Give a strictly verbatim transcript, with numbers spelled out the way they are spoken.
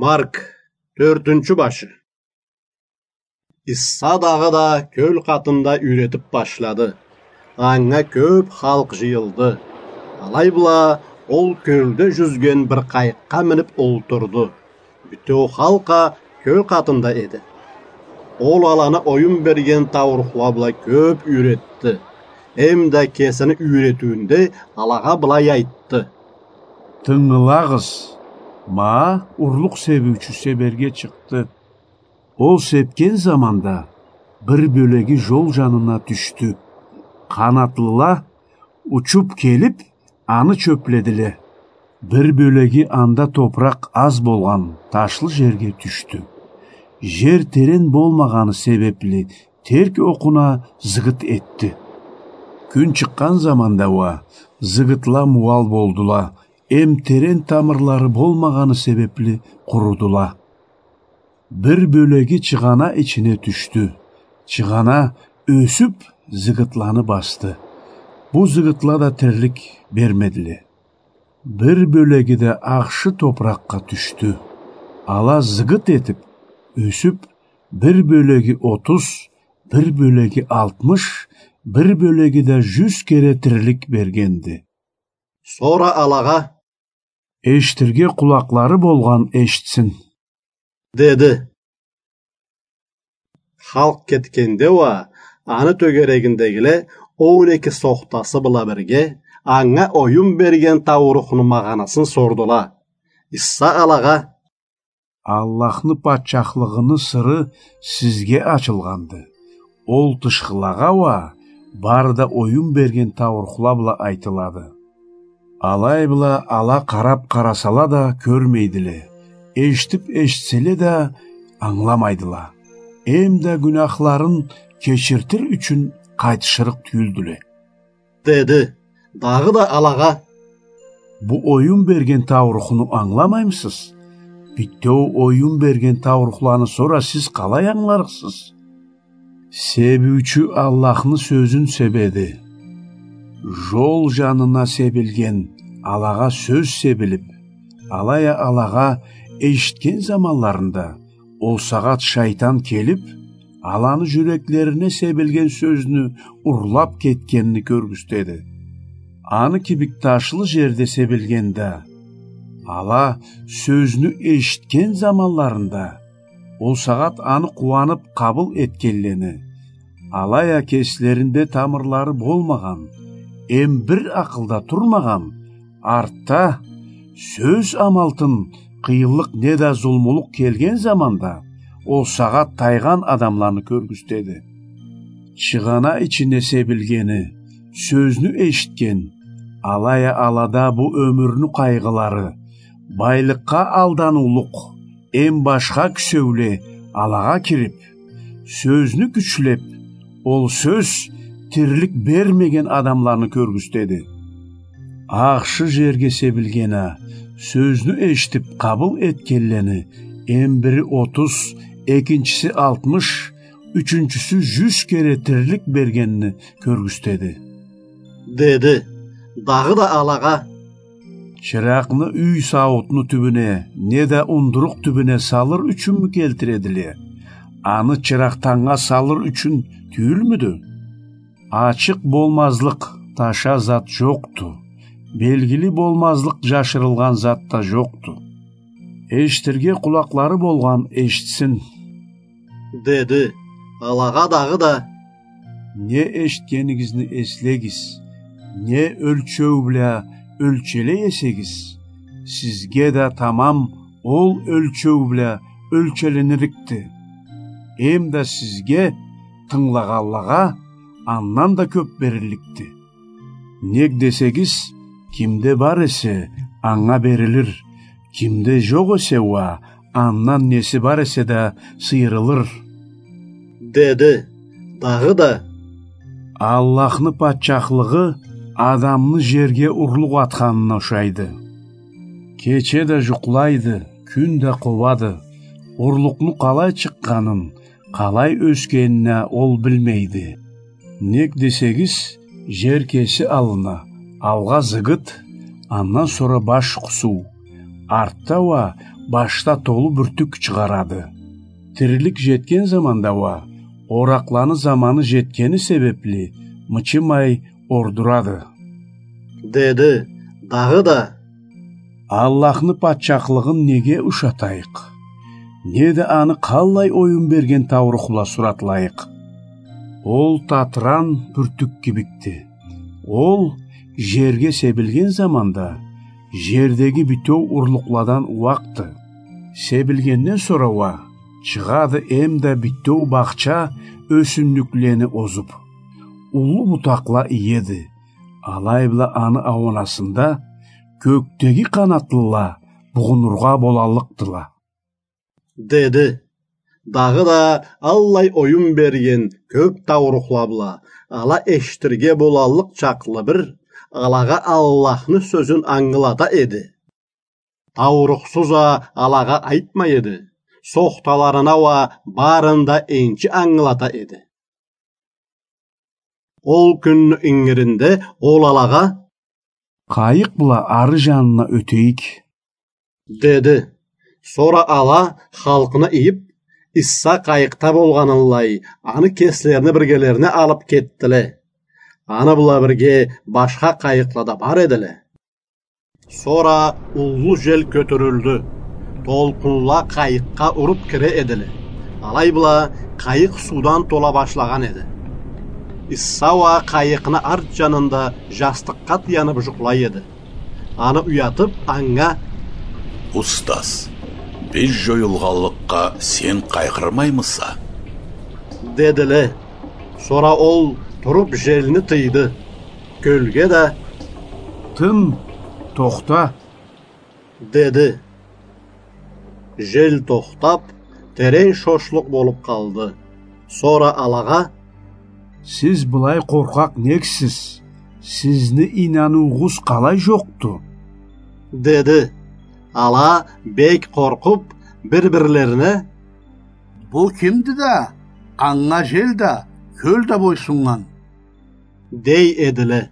Марк, тёртюнчю башы. Иса дагъыда кёл къатында юйретип башлады. Анга кёп халкъ жыйылды. Алай бла ол кёлде жюзген бир къайыкъгъа минип олтурду. Бютеу халкъ а кёл къатында эди. Ол аланы оюн берген таурухла бла кёп юйретди. Эм да кесини юйретиуюнде алагъа былай айтды: «Тынгылагъыз, ма урлукъ себиучю себерге чыкъды. Ол сепген заманда бир бёлеги жол жанына тюшдю. Къанатлыла учуп келип, аны чёпледиле. Бир бёлеги анда топуракъ аз болгъан ташлы жерге тюшдю. Жер терен болмагъаны себепли, терк окъуна зыгыт этди. Кюн чыкъгъан заманда уа зыгытла муал болдула, эм терен тамырлары болмагъаны себепли къурудула. Бир бёлеги чыгъана ичине тюшдю. Чыгъана ёсюп, зыгытланы басды. Бу зыгытла да тирлик бермедиле. Бир бёлеги да ахшы топуракъгъа тюшдю. Ала зыгыт этип, ёсюп, бир бёлеги отуз, бир бёлеги алтмыш, бир бёлеги да жюз кере тирлик бергенди». Сора алагъа: «Эшитирге къулакълары болгъан эшитсин», — деди. Халкъ кетгенде уа, аны тёгерегиндегиле он эки сохтасы бла бирге анга оюн берген таурухну магъанасын сордула. Иса алагъа: «Аллахны патчахлыгъыны сыры сизге ачылгъанды. Ол тышхылагъа уа бары да оюн берген таурухла бла айтылады». Алай бла ала къарап къарасала да кёрмейдиле, эшитип эшитселе да ангыламайдыла. Эм да гюнахларын кечиртир ючюн къайтышырыкъ тюйюлдюле. Деди. Дагъыда алагъа: «Бу оюн берген таурухну ангыламаймысыз? Бютеу оюн берген таурухланы сора сиз къалай ангыларыкъсыз? Себиучю Аллахны сёзюн себеди. Жол жанына себилген алагъа сёз себилип, алай а алагъа эшитген заманларында ол сагъат шайтан келип, аланы жюреклерине себилген сёзню урлап кетгенни кёргюзтеди. Аны кибик ташлы жерде себилгенде, ала сёзню эшитген заманларында, ол сагъат аны къууанып къабыл этгенлени, алай а кеслеринде тамырлары болмагъан, эм бир акъылда турмагъан, артда сёз амалтын къыйынлыкъ неда зулмулукъ келген заманда, ол сагъат тайгъан адамланы кёргюзтеди. Чыгъана ичине себилгени сёзню эшитген, алай а алада бу ёмюрню къайгъылары, байлыкъгъа алданыулукъ, эм башха кюсеуле алагъа кирип, сёзню кючлеп, ол сёз тирлик бермеген адамланы кёргюзтеди. Ахшы жерге себилген а сёзню эшитип къабыл этгенлени, эм бири отуз, экинчиси алтмыш, ючюнчюсю жюз кере тирлик бергенни кёргюзтеди», — деди. Дагъыда алагъа: «Чыракъны юй сауутну тюбюне неда ундурукъ тюбюне салыр ючюнмю келтиредиле? Аны чыракъ тангнга салыр ючюн тюйюлмюдю? Ачыкъ болмазлыкъ таша зат жокъду, белгили болмазлыкъ жашырылгъан зат да жокъду. Эшитирге къулакълары болгъан эшитсин», — деди. Алагъа дагъыда: «Не эшитгенигизни эслегиз, не ёлчеу бла ёлчелей эсегиз, сизге да тамам ол ёлчеу бла ёлчеленирикди. Эм да сизге, тынгылагъанлагъа, андан да кёп берилликди. Нек десегиз, кимде бар эсе, анга берилир, кимде жокъ эсе уа, андан неси бар эсе да сыйырылыр», — деди. Дагъыда: «Аллахны патчахлыгъы адамны жерге урлукъ атханына ушайды. Кече да жукълайды, кюн да къобады. Урлукъну къалай чыкъгъанын, къалай ёсгенин а ол билмейди. Нек десегиз, жер кеси алына, алгъа зыгыт, андан сора баш къусуу, артда уа башда толу бюртюк чыгъарады. Тирилик жетген заманда уа, оракъланы заманы жетгени себепли, мычымай ордурады. Деди, дагъыда: Аллахны патчахлыгъын неге ушатайыкъ? Неда аны къаллай оюн берген таурухла суратлайыкъ? Ол татыран бюртюк кибикди. Ол жерге себилген заманда, жердеги бютеу урлукъладан уакъды. Себилгенден сора уа, чыгъады эмда бютеу бахча ёсюмлюклени озуп, уллу бутакъла иеди. Алай бла аны ауанасында кёкдеги къанатлыла бугъунургъа болаллыкъдыла. Деди. Дагъыда аллай оюн берген кёп таурухла бла, ала эшитирге болаллыкъ чакълы бир, алагъа Аллахны сёзюн ангылата эди. Таурухсуз а алагъа айтмай эди. Сохталарына уа барын да энчи ангылата эди. Ол кюнню ингиринде ол алагъа: Къайыкъ бла ары жанына ётейик, деди. Сора ала, халкъны ийип, Иса къайыкъда болгъанынлай, аны кеслерине биргелерине алып кетдиле. Аны бла бирге башха къайыкъла да бар эдиле. Сора уллу жел кётюрюлдю. Толкъунла къайыкъгъа уруп кире эдиле. Алай бла къайыкъ суудан тола башлагъан эди. Иса уа къайыкъны арт жанында жастыкъгъа таянып жукълай эди. Аны уятып, анга: Устаз, биз жоюлгъанлыкъгъа сен къайгъырмаймыса? Дедиле. Сора ол туруп желни тыйды. Кёлге да: Тын, тохта, деди. Жел тохтап, терен шошлукъ болуп къалды. Сора алагъа: Сиз былай къоркъакъ нексиз? Сизни ийнаныуугъуз къалай жокъду? деди. Ала бек къоркъуп, бир-бирлерине: Бу кимди да, анга жел да, кёл да бойсуннган? дей эдиле.